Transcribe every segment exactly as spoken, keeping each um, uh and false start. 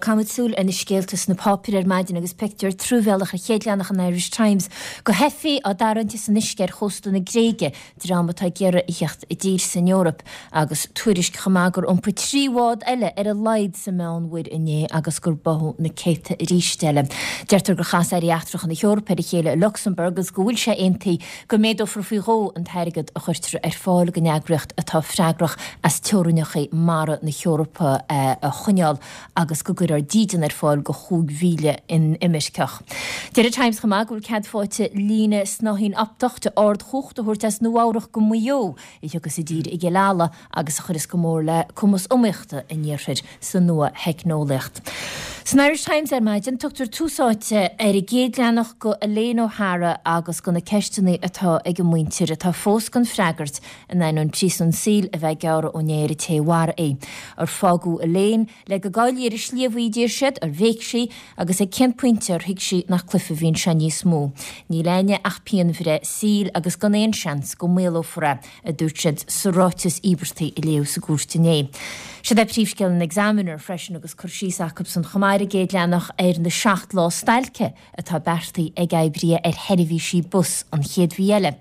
Caithfimid súil ar na scéalta sna páipéir ar maidin agus pictiúr truamhéalach ar chéad leathanach an Irish Times de theifigh á dtarraingt san uisce ar chósta na Gréige, dream atá ag iarraidh a theacht i dtír san Eoraip agus tuairisc chomh maith gur iompaigh trí bhád eile ar a laghad sa Meánmhuir inné agus gur báthadh na céadta arís eile. Deirtear gur chas airí eachtracha na hEorpa ar a chéile i Lucsamburg agus go bhfuil sé aontaithe go méadófar faoi dhó an t-airgead a chuirtear ar fáil don eagraíocht atá freagrach as teorainneacha mara na hEorpa a choinneáil agus go gcuirfear dídean ar fáil do chúig mhíle inimirceach. Deir an Times chomh maith go bhfuil cead faighte líne snáithín optach de ardchumhacht a thabhairt as Nua-Eabhrac go Maigh Eo a thiocfas i dtír i gCill Ala agus a chuireas go mór le cumas iomaíochta an iarthair sa nua-theicneolaíocht. San Irish Times ar maidin tugtar tús áite ar an gcéad leathanach go Elaine O'Hara agus go na ceisteanna atá ag an muintir atá fós gan freagairt in ainneoin príosún saoil a bheith gearrtha inné ar an té a mharaigh í. Ar fágadh Elaine le go gcaillfí ar an sliabh í a deir siad, ar bhéic sí agus ag cén pointe ar thuig sí nach cluiche a bhí anseo níos mó. Níl againne ach pianbhreith saoil agus gan aon seans go maolófar é, a dúirt siad sa ráiteas íobartaigh a léadh sa gcúirt inné. Siod é príomhscéal an Examiner freisin agus cur síos acusan chomh maith ar an gcéad leathanach ar na seacht lá stailce atá beartaithe ag oibrithe ar sheirbhísí bus an chéad mhí eile.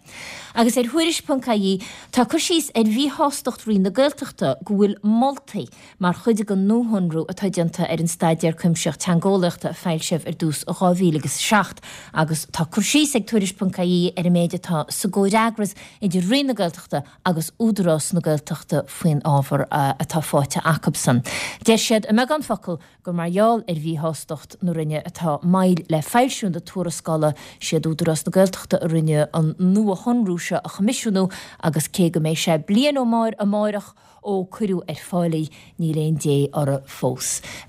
Agus ar Thuairisc ponc ie tá cur síos ar mhíshástacht Roinn na Gaeltachta go bhfuil moltaí mar chuid den nuashonrú atá déanta ar an Staidéar Cuimsitheach Teangeolaíochta a foilsíodh ar dtús i dhá mhíle agus a seacht agus tá cur síos ag Tuairisc ponc ie ar an méid atá sa gcomhfhreagras idir Roinn na Gaeltachta agus Údarás na Gaeltachta faoin ábhar atá faighte acusan. Deir siad i mbeagán focal gur mar gheall ar mhíshástacht na Roinne atá moill le foilsiú na tuarascála siad Údarás na Gaeltachta a rinne an nuashonrú seo a choimisiúnú agus cé go mbeidh sé bliain ó amárach ó cuireadh ar fáil í níl aon dé orthu fós.